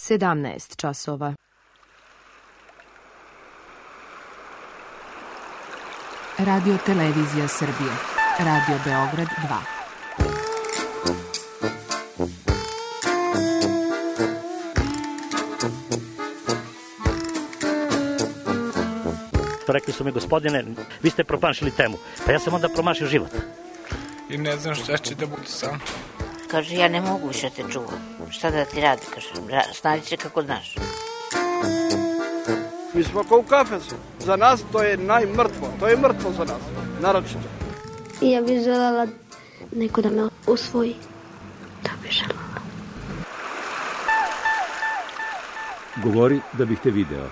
17 časova. Radio Televizija Srbije. Radio Beograd 2. Rekli su mi, gospodine, vi ste promašili temu. Pa ja sam onda promašio život. I ne znam šta će da bude sam. Kaže, ja ne mogu više te čuvam. Šta da ti radi, kaže, snađi se kako znaš. Mi smo kao u kafesu. Za nas to je najmrtvo. To je mrtvo za nas, naročito. I ja bih želela neko da me usvoji. To bih želela. Govori da bih te video.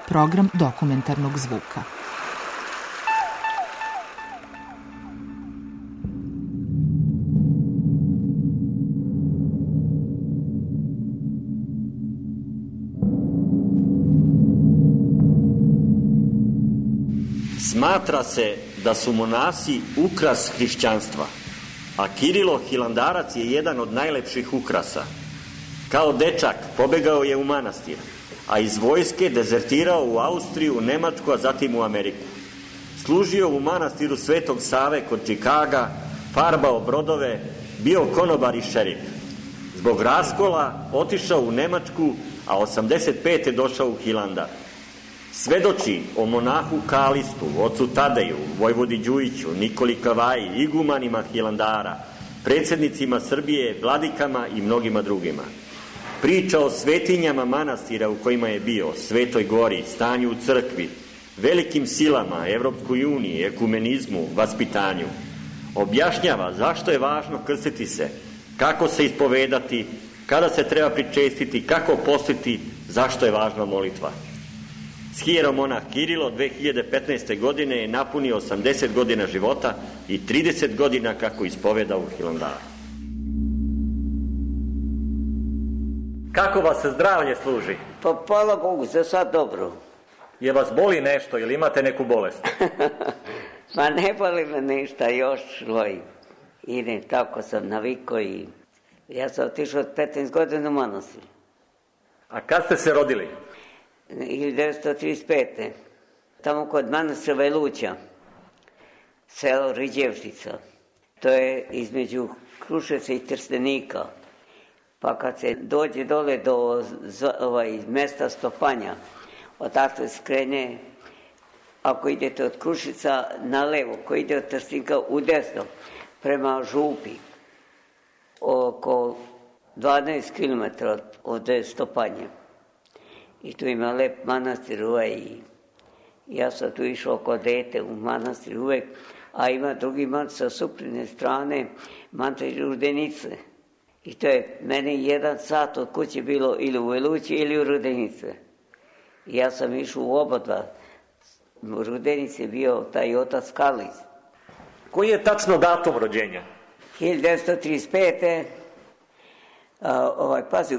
Program dokumentarnog zvuka. Smatra se da su monasi ukras hrišćanstva, a Kirilo Hilandarac je jedan od najlepših ukrasa. Kao dečak pobegao je u manastir, a iz vojske dezertirao u Austriju, Nemačku, a zatim u Ameriku. Služio u manastiru Svetog Save kod Čikaga, farbao brodove, bio konobar i šerif. Zbog raskola otišao u Nemačku, a 85. došao u Hilandar. Svedoči o monahu Kalistu, ocu Tadeju, Vojvodi Đujiću, Nikoli Kavaji, igumanima Hilandara, predsjednicima Srbije, vladikama i mnogima drugima. Priča o svetinjama manastira u kojima je bio, Svetoj Gori, stanju u crkvi, velikim silama, Evropskoj uniji, ekumenizmu, vaspitanju. Objašnjava zašto je važno krstiti se, kako se ispovedati, kada se treba pričestiti, kako postiti, zašto je važna molitva. Schijeromonah Kirilo 2015. godine je napunio 80 godina života i 30 godina kako ispoveda u Hilandaru. Kako vas se zdravlje služi? Pa hvala Bogu, za sad dobro. Je vas boli nešto ili imate neku bolest? Pa ne boli me ništa još, idem, tako sam navikao i ja sam otišao od 15 godina u manastir. A kad ste se rodili? 1935. Tamo kod manastira Veluća, selo Riđevštica. To je između Kruševca i Trstenika. Pa kad se dođe dole do mesta Stopanja, odatle skrene, ako idete od Kruševca na levo, ko ide od Trstenika u desno, prema Župi, oko 12 km od Stopanja. I tu ima lep manastir i ja sam tu išao oko dete u manastir uvek, a ima drugi manastir sa suprotne strane, manastir Rudenice. I to je meni 1 sat od kuće bilo ili u Velući ili u Rudenice. I ja sam išao u obodva. U Rudenici je bio taj otac Kalis. Koji je tačno datum rođenja? 1935. Pazi,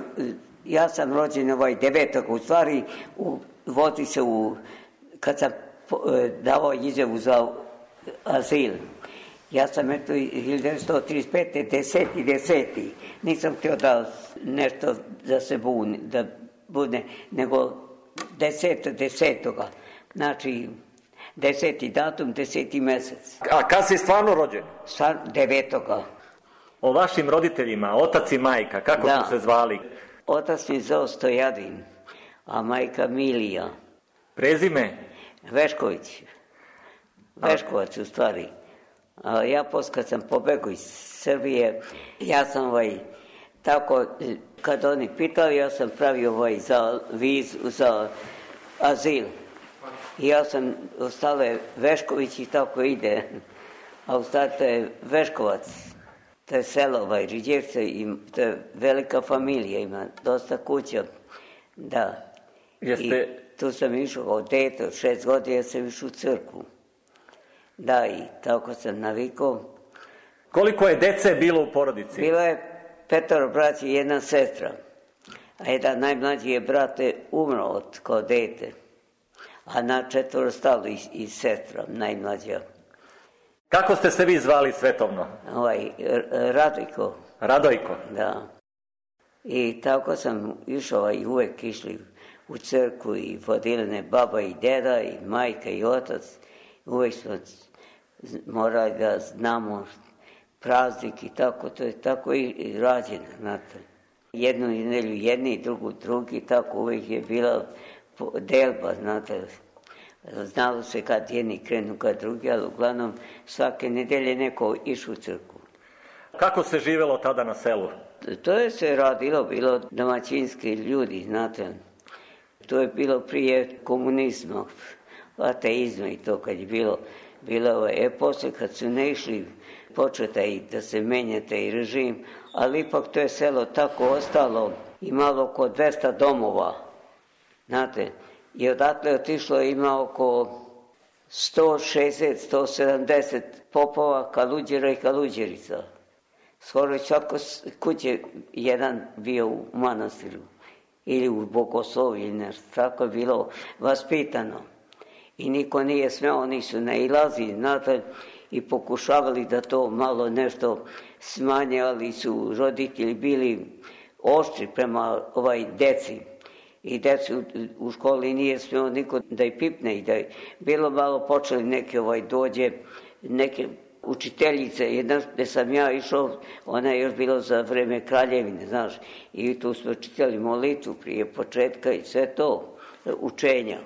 ja sam rođen 9. u stvari, vodi se kad sam davao izjavu za azil. Ja sam 1935. 10. Nisam htio da nešto da se bude, nego 10. Znači, 10. datum, 10. mesec. A kad si stvarno rođen? 9. O vašim roditeljima, otac i majka, kako su se zvali? Otac mi zvao Stojadin, a majka Milija. Prezime? Vešković. Veškovac u stvari. A ja kad sam pobegao iz Srbije, ja sam tako, kad oni pitali, ja sam pravio za vizu, za azil. I ja sam ostale Vešković i tako ide. A u stvari to je Veškovac. To je selo Riđevce i to je velika familija, ima dosta kuća. Da. I tu sam išao od dete, od 6 godina sam išao u crkvu. Da, i tako sam navikao. Koliko je dece bilo u porodici? Bilo je 5 braća i 1 sestra. A jedan najmlađi je brate umro kao dete. A na 4 stalo i sestra, najmlađa. Kako ste se vi zvali svetovno? Radojko. Radojko? Da. I tako sam išao i uvek išli u crkvu i vodili baba i deda i majka i otac. Uvek smo morali da znamo praznik i tako, to je tako i rađeno, znate. Jednu nedelju jedni, drugi, tako uvek je bila delba, znate. Znalo se kad jedni krenu, kad drugi, ali uglavnom svake nedelje neko išao u crkvu. Kako se živelo tada na selu? To je se radilo, bilo domaćinski ljudi, znate. To je bilo prije komunizma, ateizma i to kad je bilo. Posle kad su ne išli, početa i da se menja taj režim, ali ipak to je selo tako ostalo, imalo oko 200 domova, znate. I odatle otišlo ima oko 160-170 popova, kaluđera i kaluđerica. Skoro svako kuće jedan bio u manastiru ili u Bogoslovu ili nešto. Tako je bilo vaspitano. I niko nije smeo, oni su nailazili, znate, i pokušavali da to malo nešto smanje, ali su roditelji bili oštri prema deci. I decu u školi nije smeo niko da je pipne i da je bilo malo počeli neke dođe, neke učiteljice, jedna gde sam ja išao, ona je još bilo za vreme kraljevine, znaš, i tu smo čitali molitvu prije početka i sve to, učenja.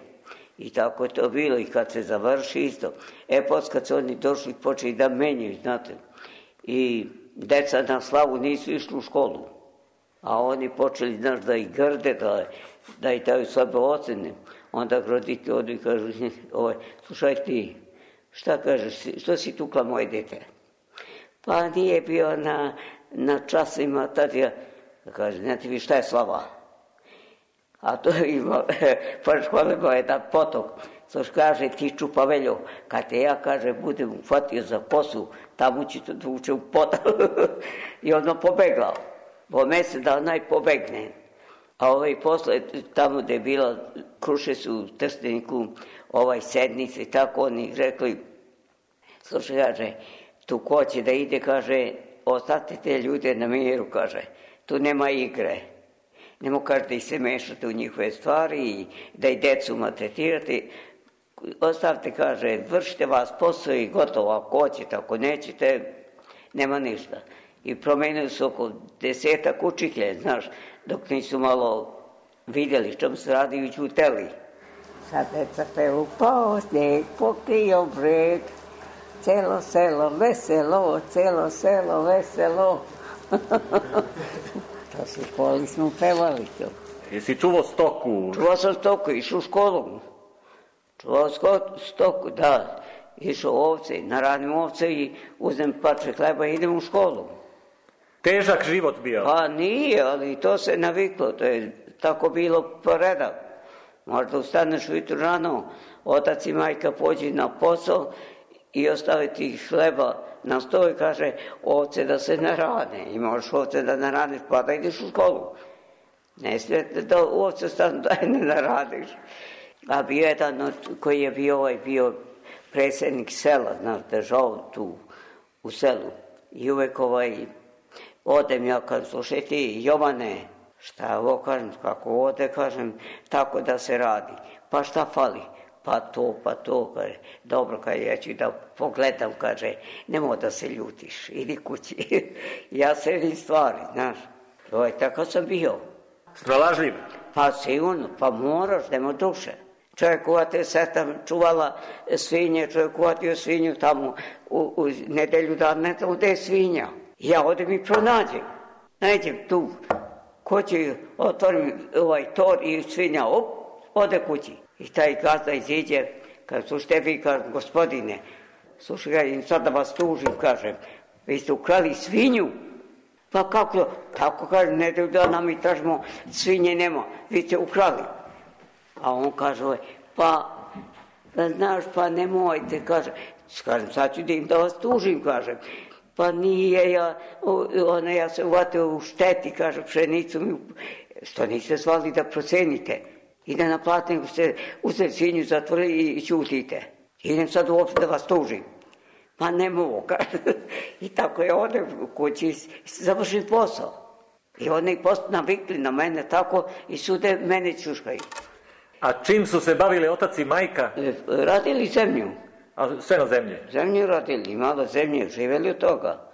I tako je to bilo i kad se završi isto. Posle kad su oni došli počeli da menjaju, znate, i deca na slavu nisu išli u školu, a oni počeli, znaš, da ih grde, da ih daju slabe ocene. Onda roditelji odu i kažu, slušaj ti, šta kažeš, što si tukla moje dete? Pa nije bio na časima, tad ja, kaže, znate vi šta je slava? A to ima, pored škole ima jedan potok, što kaže, ti čupaveljo, kad te ja, kaže, budem uhvatio za kosu, tamo ću to da uče u potok. I ono pobeglao. Po mesec da onaj pobegne. A posle, tamo gde je bila Krušec u Trsteniku, sednice, tako oni rekli, slušaj, kaže, tu ko će da ide, kaže, ostavite te ljude na miru, kaže, tu nema igre. Nemo, kaže, da ih se mešate u njihove stvari i da i decu maltretirate. Ostavite, kaže, vršite vas posao i gotovo, ako hoćete, ako nećete, nema ništa. I promenili su oko 10 učitelja, znaš, dok nisu malo vidjeli što se radi i ćuteli. Sad deca pevu, pao snijeg, pokrio breg, celo selo veselo, celo selo veselo. To su školi smo pevali to. Jesi čuvao stoku? Čuvao sam stoku, išao u školu. Čuvao stoku, da. Išao ovce, naradim ovce i uzem parče hleba i idem u školu. Težak život bio? Pa nije, ali to se naviklo, to je tako bilo poredak. Možda ustaneš ujutru rano, otac i majka pođi na posao i ostavi ti hleba na stol i kaže ovce da se narane. I možeš ovce da naraniš pa da ideš u školu. Ne smijete da ovce stanu da ne naradiš. A bio jedan koji je bio predsjednik sela, znaš, držao tu u selu. I uvek odem ja, kažem, slušaj ti, Jovane, šta ovo kažem, kako ode, kažem, tako da se radi. Pa šta fali? Pa to, kaže, dobro, kaže, ja ću da pogledam, kaže, nemoj da se ljutiš, idi kući. Ja sredim stvari, znaš, tako sam bio. Snalažljiv? Pa sigurno, pa moraš, nema duše. Čovjek uvate seta čuvala svinje, čovjek uvatio svinju tamo u nedelju dana, ne tamo gde je svinja. Ja odem i pronađem, nađem tu, ko će otvorim tor i svinja, ode kući. I taj gazda iziđe, kaže, slušajte vi, kaže, gospodine, slušaj, sad da vas tužim, kažem, vi ste ukrali svinju. Pa kako, tako kaže, nedelju dana mi tražimo, svinje nema, vi ste ukrali. A on kaže, pa, znaš, pa nemojte, kaže, sad ću da vas tužim, kažem. Pa nije, ja se uvatio u šteti, kaže, pšenicu mi, što niste zvali da procenite i da naplatim, ste uzeli svinju, zatvorili i ćutite. Idem sad uopšte da vas tužim. Pa ne mogu, kaže. I tako je odem u kući i završim posao. I oni navikli na mene tako i sude mene čuškaju. A čim su se bavili otac i majka? Radili zemlju. A sve na zemlji? Zemlju radili, malo zemlje, živjeli od toga.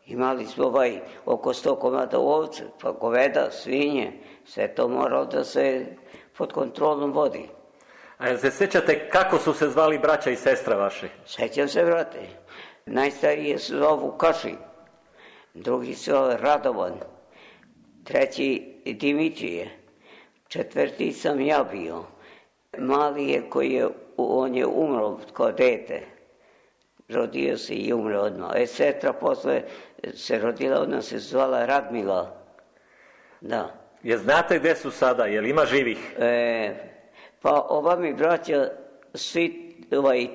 Imali smo oko 100 komada ovce, pa goveda, svinje, sve to moralo da se pod kontrolom vodi. A jel se sjećate kako su se zvali braća i sestra vaši? Sjećam se, brate. Najstariji se zovu Kaši, drugi se zove Radovan, treći Dimitrije, četvrti sam ja bio. Mali je on je umro kao dete. Rodio se i umre odmah. Sestra posle se rodila, ona se zvala Radmila. Da. Je znate gdje su sada? Je li ima živih? Pa ova mi braća, svi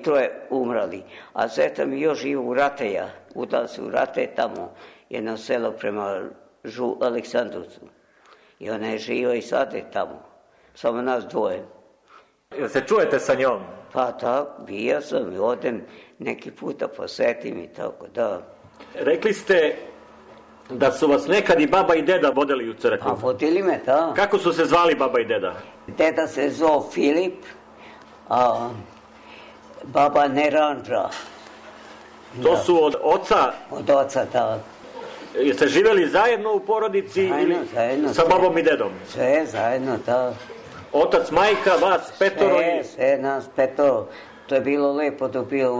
troje umrali. A sestra mi još živa u Rateja. Udala se u Rate, tamo jedno selo prema Aleksandrovcu. I ona je živa i sad je tamo. Samo nas dvoje. Jel se čujete sa njom? Pa tako, bio sam i odem neki puta posetim i tako, da. Rekli ste da su vas nekad i baba i deda vodili u crkvu. A vodili me, da. Kako su se zvali baba i deda? Deda se zvao Filip, a baba Neranđa. To su od oca? Od oca, da. Jeste živjeli zajedno u porodici zajedno, sa babom i dedom? Sve zajedno, da. Otac, majka, vas petoro? Sve nas petoro. To je bilo lepo da bio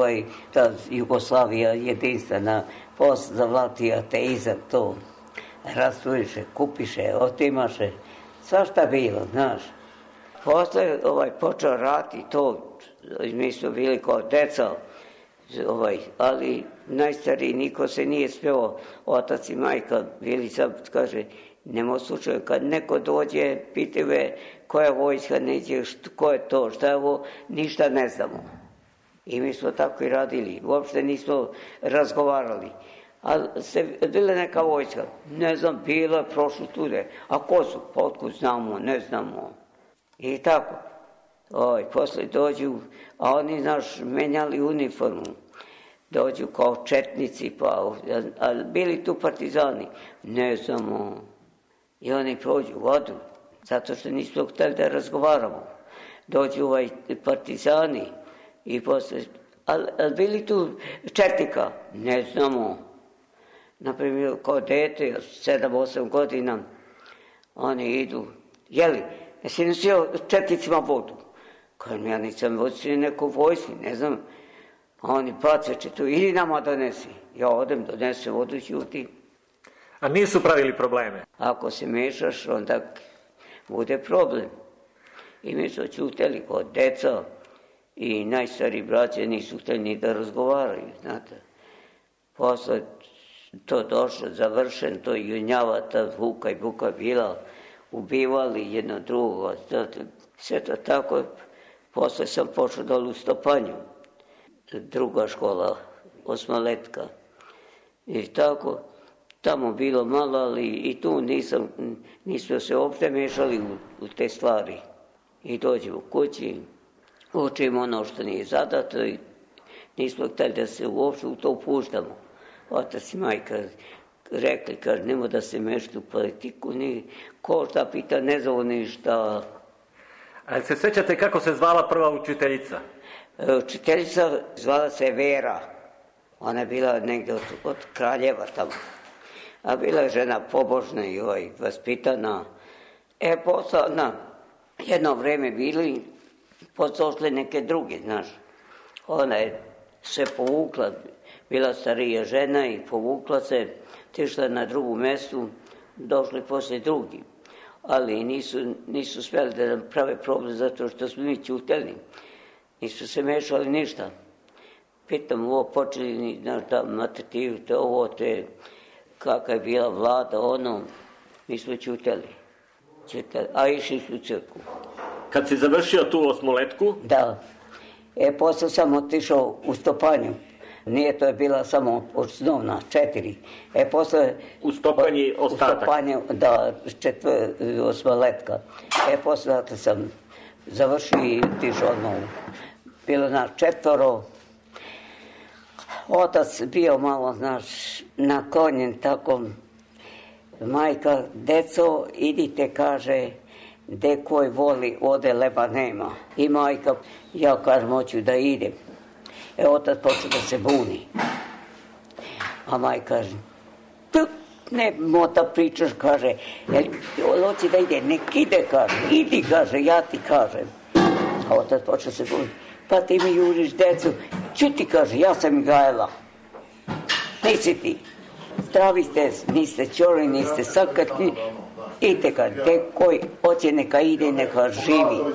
ta Jugoslavija jedinstvena, posle zavlatio ateizam, to rastrujiše, kupiše, otimaše, svašta bilo, znaš. Posle počeo rat i to, mi smo bili kao deca, ali najstariji niko se nije speo, otac i majka bili sad, kaže, nema slučaju, kad neko dođe, pitaju me koja vojska neće, ko je to, šta je ovo, ništa ne znamo. I mi smo tako i radili, uopšte nismo razgovarali. Ali se bila neka vojska, ne znam, bila je prošlo tude, a ko su, potkud znamo, ne znamo. I tako, posle dođu, a oni, znaš, menjali uniformu. Dođu kao četnici, a bili tu partizani, ne znamo. I oni prođu vodu, zato što nismo htjeli da razgovaramo. Dođu partizani i posle, ali bili tu četnika, ne znamo. Naprimjer, kao dete, 7-8 godina, oni idu, jeli, jesi nosio četnicima vodu? Kajem, ja nisam vodio neku vojsku, ne znam. A oni bace četu, idi nama donesi. Ja odem, donesem vodu, ćuti. A nisu pravili probleme? Ako se mešaš, onda bude problem. I mi su čuteli kod deca i najstariji braće nisu htjeli ni da razgovaraju, znate. Posle to došlo, završen, to junjavata Vuka i Buka bila, ubivali jedno drugo, znate. Sve to tako, posle sam pošao dole u Stopanju, druga škola, osmoletka. I tako, tamo bilo malo, ali i tu nismo se uopšte mešali u te stvari. I dođemo kući, učimo ono što nije zadato i nismo htjeli da se uopšte u to upuštamo. Otac i majka rekli, kaže, nemoj da se mešati u politiku, ni ko šta pita, ne zove ništa. A se sjećate kako se zvala prva učiteljica? Učiteljica zvala se Vera. Ona je bila negdje od Kraljeva tamo. A bila je žena pobožna i vaspitana. Posle, jedno vreme bili, posle neke druge, znaš. Ona je se povukla, bila starija žena i povukla se, tišla na drugu mestu, došli posle drugi. Ali nisu smjeli da nam prave problem zato što smo mi ćuteli. Nisu se mešali ništa. Pitam, ovo počeli, znaš, da matertivu, te ovo, te, kakva je bila vlada, mi smo ćuteli. A išli su u crkvu. Kad si završio tu osmoletku? Da. Posle sam otišao u Stopanju. Nije, to je bila samo osnovna, 4. Posle... U Stopanji ostatak? U Stopanju, da, osmoletka. Posle sam završio i otišao odmah. Bilo nas 4. Otac bio malo, znaš, naklonjen tako Majka, deco, idite, kaže, gde koji voli, ode leba nema. I majka, ja kažem, hoću da idem. Otac počeo da se buni. A majka kaže, ne mota pričaš, kaže, hoće da ide, nek ide, kaže, idi, kaže, ja ti kažem. A otac počeo se buni. Pa ti mi juriš decu, čuti, kaže, ja sam ih gajala. Nisi ti. Zdravi ste, niste čori, niste sakrti. Idite, kaže, te koji hoće neka ide, neka živi.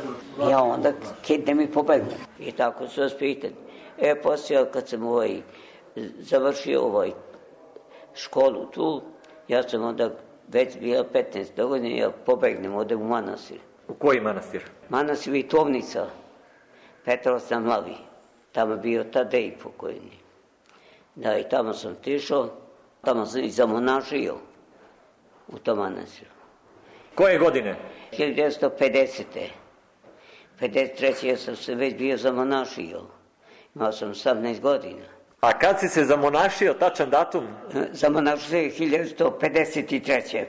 Ja onda kidnem i pobegnem. I tako su vas pitali. Poslije kad sam završio školu tu, ja sam onda već bila 15 godina, ja pobegnem, odem u manastir. U koji manastir? Manastir Vitovnica, Petros na Mlavi. Tamo je bio Tadej pokojni. Da, i tamo sam tišao, tamo sam i zamonašio u tom manastiru. Koje godine? 1950. 53. ja sam se već bio zamonašio. Imao sam 18 godina. A kad si se zamonašio, tačan datum? Zamonašio se 1953.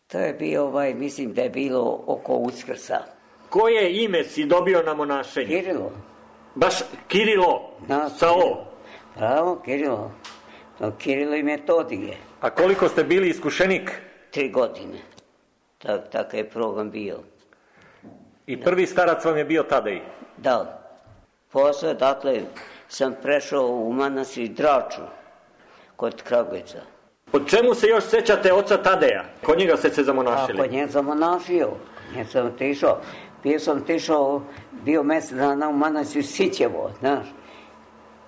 To je bio, mislim da je bilo oko Uskrsa. Koje ime si dobio na monašenju? Kirilo. Baš Kirilo? Sa O? Pravo, Kirilo. To Kirilo i Metodije. A koliko ste bili iskušenik? 3 godine. Takav je program bio. I prvi starac vam je bio Tadej? Da. Posle, dakle, sam prešao u manastir Draču, kod Kragujevca. Po čemu se još sećate oca Tadeja? Kod njega ste se zamonašili? Kod njega zamonašio. Njega sam tišao. Bio mjesec dana u manastir Sićevo, znaš.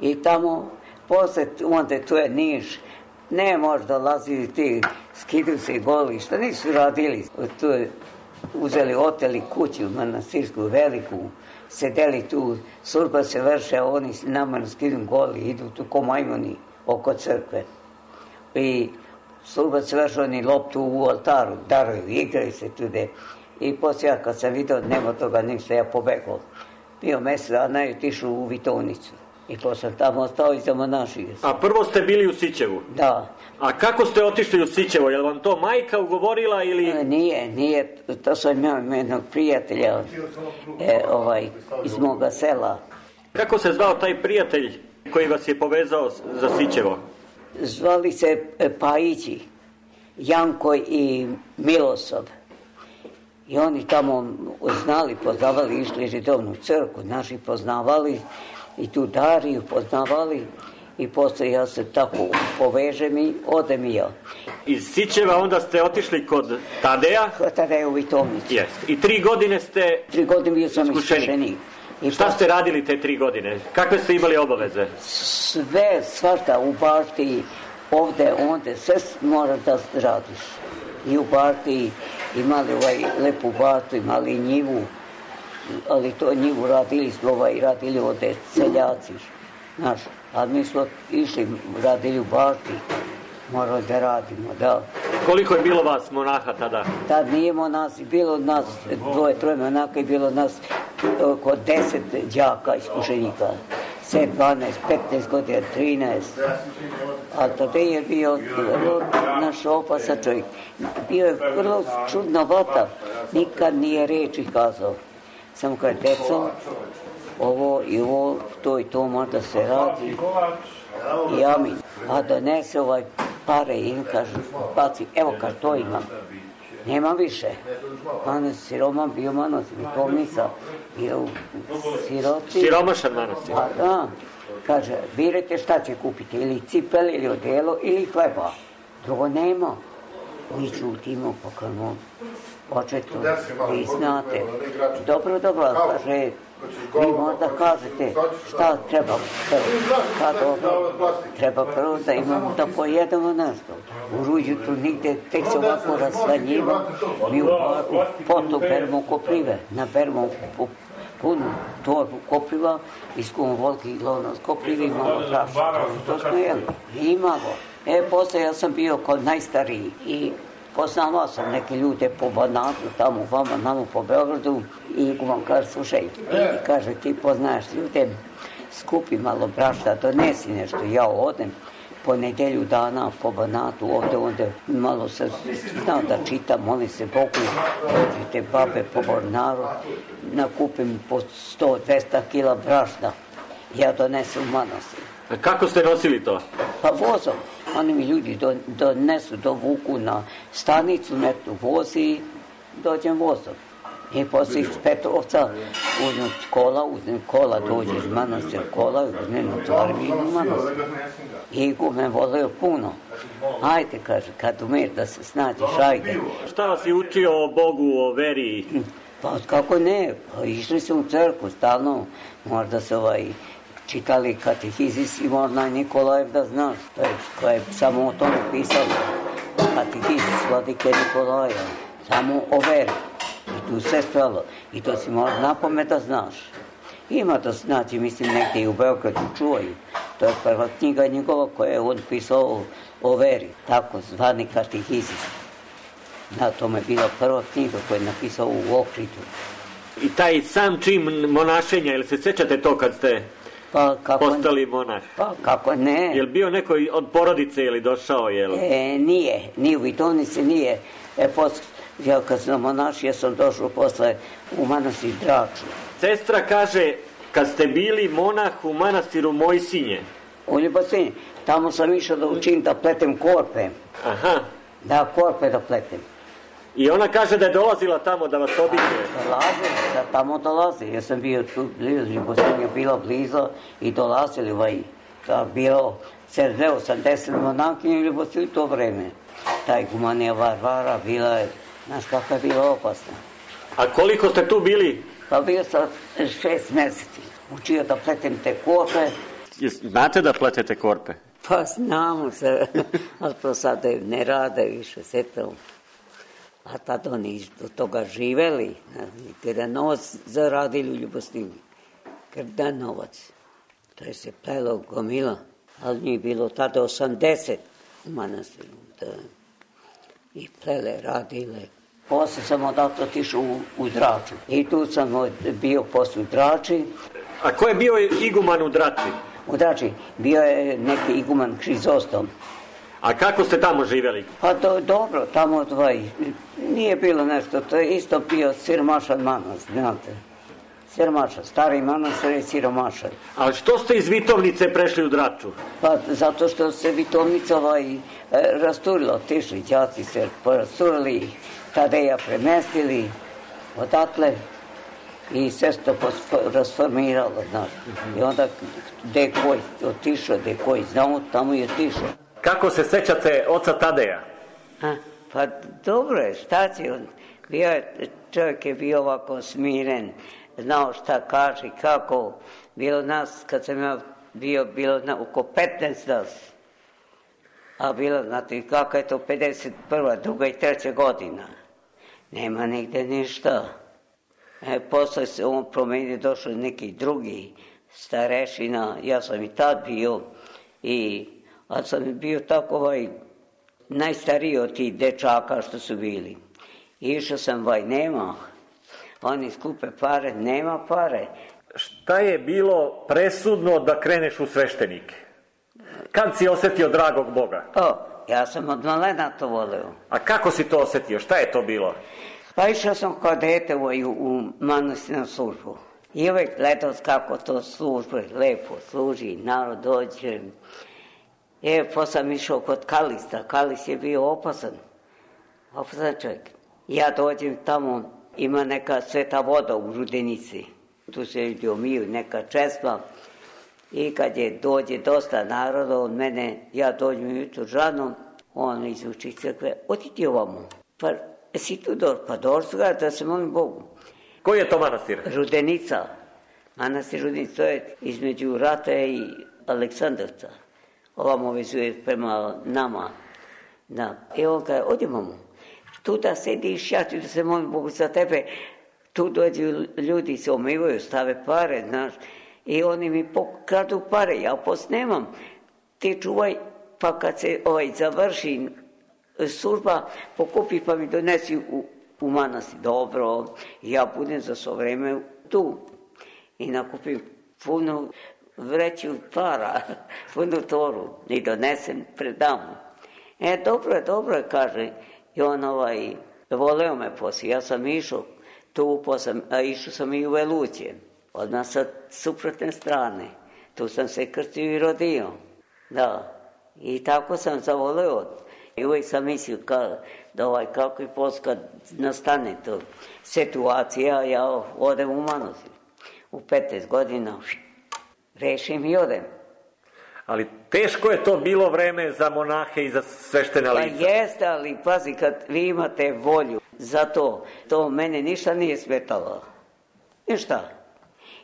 I tamo, posle, onda tu je Niš. Ne možda dolazili ti, skidili se goli, šta nisu radili. Tu je uzeli, oteli kuću manastirsku, veliku, sedeli tu, služba se vrše, oni nama skidili goli, idu tu ko majmuni oko crkve. I služba se vrše, oni loptu u oltaru, daruju, igraju se tude. I poslije, kad sam vidio, nema toga ništa, ja pobegao. Bio mjesec dana i otišao u Vitovnicu. I posle sam tamo ostao i zamonašio se. A prvo ste bili u Sićevu? Da. A kako ste otišli u Sićevo? Je li vam to majka ugovorila ili... Nije. To sam imao jednog prijatelja iz moga sela. Kako se zvao taj prijatelj koji vas je povezao za Sićevo? Zvali se Pajići, Janko i Milosav. I oni tamo znali, poznavali, išli redovnu crkvu, naši poznavali i tu Dariju poznavali. I posle ja se tako povežem i odem i ja. Iz Sićeva onda ste otišli kod Tadeja? Kod Tadeja u Vitovnici. Jest. I 3 godine ste 3 godine bio sam iskušenik. Šta ste radili te 3 godine? Kakve ste imali obaveze? Sve, svašta, u bašti, ovde, onde, sve moraš da radiš. I u bašti imali lepu baštu, imali njivu, ali to njivu radili ovde seljaci, znaš. A mi smo išli, radili u bašti, morali da radimo, da. Koliko je bilo vas monaha tada? Tad nije monasi, bilo nas 2-3 monaka i bilo nas oko 10 đaka iskušenika. 7, 12, 15 godina, 13. A tada je bio vrlo naš opasan čovjek. Bio je vrlo čudna vata, nikad nije reči kazao. Samo kad deco, ovo i ovo, to i to možda se radi i amin. A donese pare i im kaže, baci, evo kaže, to imam. Nema više. Manas siroman bio manastir, Vitovnica, bio u siroti. Siromašan manastir. A da, kaže, birajte šta će kupiti, ili cipel, ili odelo, ili hleba. Drugo nema. Mi čutimo, pokajmo, očeto, vi znate. Dobro, kaže, vi možda kažete šta treba. Pa dobro, treba prvo da imamo da pojedemo nešto. U Ruđu tu nigde, tek se ovako raslanjiva, mi u potu beremo koprive, naberemo punu torbu kopriva, iskujemo volki i lovno s koprivi i malo praša. To smo jeli. Imamo. Posle ja sam bio kod najstariji i poznavao sam neke ljude po Banatu, tamo vama, namo po Beogradu i vam kaže, slušaj, kaže, ti poznaješ ljude, skupi malo brašna, donesi nešto, ja odem, po nedelju dana po Banatu, ovde malo sam znao da čitam, molim se Bogu, dođite babe po Mornaru, nakupim po 100-200 kila brašna, ja donesem u manastir. A kako ste nosili to? Pa vozom, oni mi ljudi donesu, dovuku na stanicu, netu vozi i dođem vozom. I posle iz Petrovca uzmem kola, dođe iz manastir kola, uzmem otvorim i idem u manastir. I me voleo puno. Ajde, kaže, kad umeš da se snađeš, ajde. Šta vas je učio o Bogu, o veri? Pa kako ne, išli su u crkvu stalno, možda se čitali katehizis i možda Nikolajev da znaš, koja je samo o tome pisao. Katehizis vladike Nikolaja, samo o veri. I tu sve stalo. I to si možda napamet da znaš. Ima da znači, mislim, negdje i u Beogradu čuvaju. To je prva knjiga njegova koja je on pisao o veri, tako zvani katehizis. Da, to je bila prva knjiga koja je napisao u Ohridu. I taj sam čin monašenja, ili se sećate to kad ste postali monah? Pa kako ne. Je li bio neko od porodice ili došao? Nije u Vitovnici nije. Ja kad sam monašio sam došao posle u manastir Draču. Sestra kaže, kad ste bili monah u manastiru Mojsinje. U Ljubosinje. Tamo sam išao da učim da pletem korpe. Aha. Da, korpe da pletem. I ona kaže da je dolazila tamo da vas obiđe. Da tamo dolazi. Ja sam bio tu blizu, Ljubosinje bila blizu i dolazili bilo 80 monahkinja u Ljubosinju to vreme. Ta igumanija Varvara bila je, znaš kako je bila opasna. A koliko ste tu bili? Pa bio sam 6 meseci. Učio da pletem te korpe. Znate da pletete korpe? Pa znamo se, ali to sad ne rade više, sve to. A tad oni do toga živeli, kada novac zaradili u Ljubostini. Kada novac. To je se plelo gomila, ali nije bilo tada 80 u manastiru. I plele, radile. Posle sam odato otišao u Draču. I tu sam bio posle u Drači. A ko je bio iguman u Drači? U Drači bio je neki iguman Hrizostom. A kako ste tamo živjeli? Pa dobro, tamo nije bilo nešto, to je isto bio siromašan manastir, znate. Siromašan, stari manastir je siromašan. A što ste iz Vitovnice prešli u Draču? Pa zato što se Vitovnica rasturila, otišli đaci se rasturili, Tadeja premestili odatle i sve se to rasformiralo, znaš. I onda gde koji otišao, gde koji znao, tamo je otišao. Kako se sećate oca Tadeja? Pa dobro je, šta će on? Čovjek je bio ovako smiren, znao šta kaže i kako. Bilo nas, kad sam ja bilo oko 15 nas. A bilo, znate, kako je to 51., 2. i 3. godina. Nema nigde ništa. Posle se on promenio, došao neki drugi starešina, ja sam i tad bio, ali sam bio tako najstariji od tih dečaka što su bili. Išao sam nema, oni skupe pare, nema pare. Šta je bilo presudno da kreneš u sveštenike? Kad si osjetio dragog Boga? Ja sam od malena to voleo. A kako si to osjetio? Šta je to bilo? Pa išao sam kao dete u manastirnu službu. I uvijek gledao kako to službe lepo služi, narod dođe. Pa sam išao kod Kalista. Kalis je bio opasan čovjek. Ja dođem tamo, ima neka sveta voda u Rudenici. Tu se ljudi omiju, neka česma. I kad dođe dosta naroda od mene, ja dođem jutro žanom, on izuči crkve, odi ti ovamo. Pa si tu pa došli da se molim Bogu. Koji je to manastir? Rudenica. Manastir Rudenica, to je između Rata i Aleksandrovca. Ovamo vezuje prema nama. I on kaže, odimamo. Tu da sediš, ja ću da se molim Bogu za tebe. Tu dođu ljudi, se omivaju, stave pare, znaš. I oni mi pokradu pare, ja posnemam. Ti čuvaj, pa kad se završi služba, pokupi pa mi donesi u manastir. Dobro, ja budem za svo vreme tu. I nakupim puno vreću para, punu toru i donesem pred damu. Dobro je, kaže. I on voleo me poslije. Ja sam išao tu, a išao sam i u Veluće. Odmah sa suprotne strane. Tu sam se krstio i rodio. Da. I tako sam zavoleo. I uvijek sam mislio da kako i poslije kad nastane to situacija, ja odem u Manastir. U 15 godina rešim i odem. Ali teško je to bilo vreme za monahe i za sveštena lica. Pa jeste, ali pazi, kad vi imate volju za to mene ništa nije smetalo. Ništa.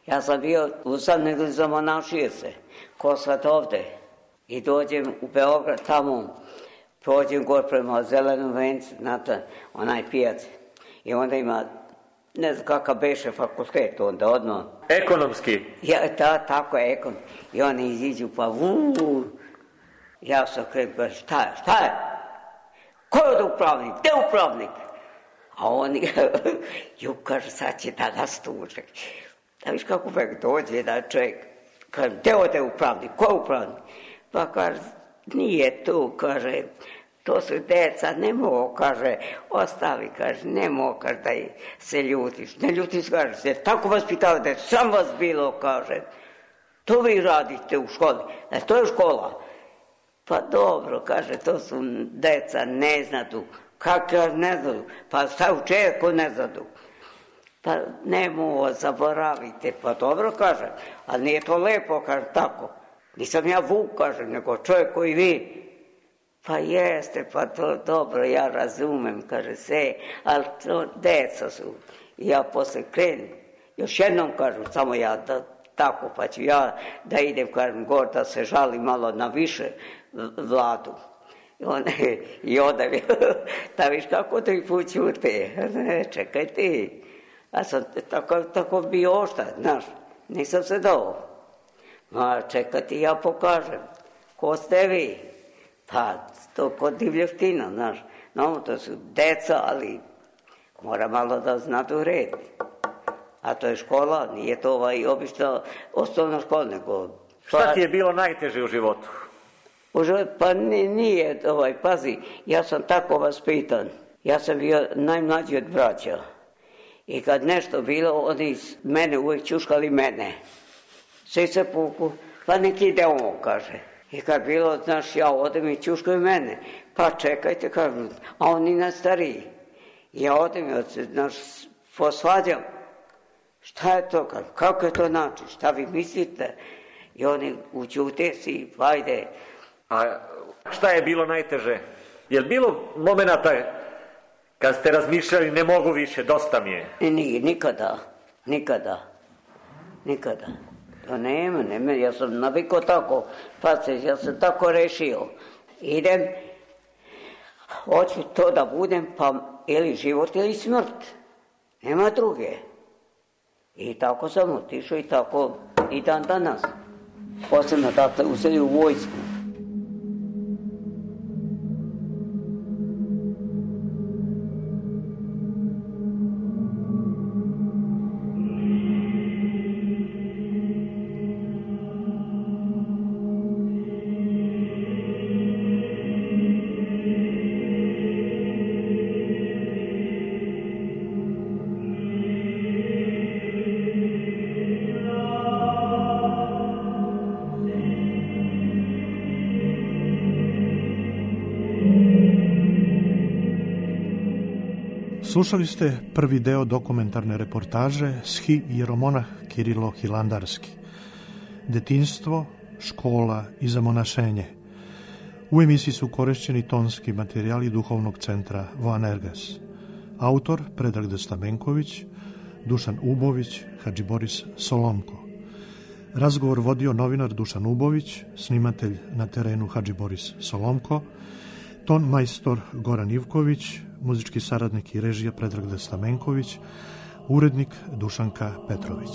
Ja sam bio usamljen za monašije se, ko sad ovde. I dođem u Beograd, tamo prođem gore prema Zelenom vencu, znate, onaj pijac. I onda ima, ne znam kakav beše fakultet onda odmah. Ekonomski? Tako je, ekonomski. I oni iziđu pa ja sam krenuo, šta je? Ko je ovdje upravnik? Gde je upravnik? A oni, kaže, sad će da nas tuže. Da viš kako uvek dođe da čovjek, kaže, gde ovdje je upravnik? Ko je upravnik? Pa kaže, nije tu, kaže, to su deca, ne mogu, kaže, ostavi, kaže, ne mogu, kaže, da se ljutiš. Ne ljutiš, kaže, se tako vas pitao da je sam vas bilo, kaže, to vi radite u školi, to je škola. Pa dobro, kaže, to su deca, ne znadu. Kako ne znadu? Pa šta uče ako ne znadu? Pa ne mogu, zaboravite. Pa dobro, kaže, ali nije to lepo, kaže, tako. Nisam ja Vuk, kaže, nego čovjek koji vi. Pa jeste, pa to dobro, ja razumem, kaže se, ali to deca su. I ja posle krenem, još jednom kažem, samo ja tako, pa ću ja da idem, kažem, gore da se žalim malo na više vladu. I onda mi, da viš kako to i pućute, čekaj ti. Ja sam tako bio ošta, znaš, nisam se dao. Ma čekaj ti, ja pokažem, ko ste vi? Pa to kod divljevtina, znaš, no to su deca, ali mora malo da znadu red. A to je škola, nije to obična osnovna škola, nego... Šta ti je bilo najteže u životu? Pa nije, pazi, ja sam tako vaspitan. Ja sam bio najmlađi od braća. I kad nešto bilo, oni mene uvijek čuškali mene. Svi se puku, pa neki ide on, kaže. I kad bilo, znaš, ja odem i čuškaju mene. Pa čekajte, kažu, a oni na stariji. Ja odem i, znaš, posvađam. Šta je to, kažu, kako je to način, šta vi mislite? I oni učute si, vajde. A šta je bilo najteže? Je li bilo momenata kad ste razmišljali ne mogu više, dosta mi je? Nije, nikada. To nema, ja sam navikao tako, pa ja sam tako rešio. Idem, hoću to da budem, pa ili život ili smrt. Nema druge. I tako sam otišao i tako i dan danas. Posebno tata uzeli u vojsku. Slušali ste prvi deo dokumentarne reportaže Schi jeromonah Kirilo Hilandarski. Detinjstvo, škola i zamonašenje. U emisiji su korišćeni tonski materijali duhovnog centra Voanerges. Autor Predrag Stamenković, Dušan Ubović, Hadži Boris Solomko. Razgovor vodio novinar Dušan Ubović, snimatelj na terenu Hadži Boris Solomko, ton majstor Goran Ivković, muzički saradnik i režija Predrag Stamenković, urednik Dušanka Petrović.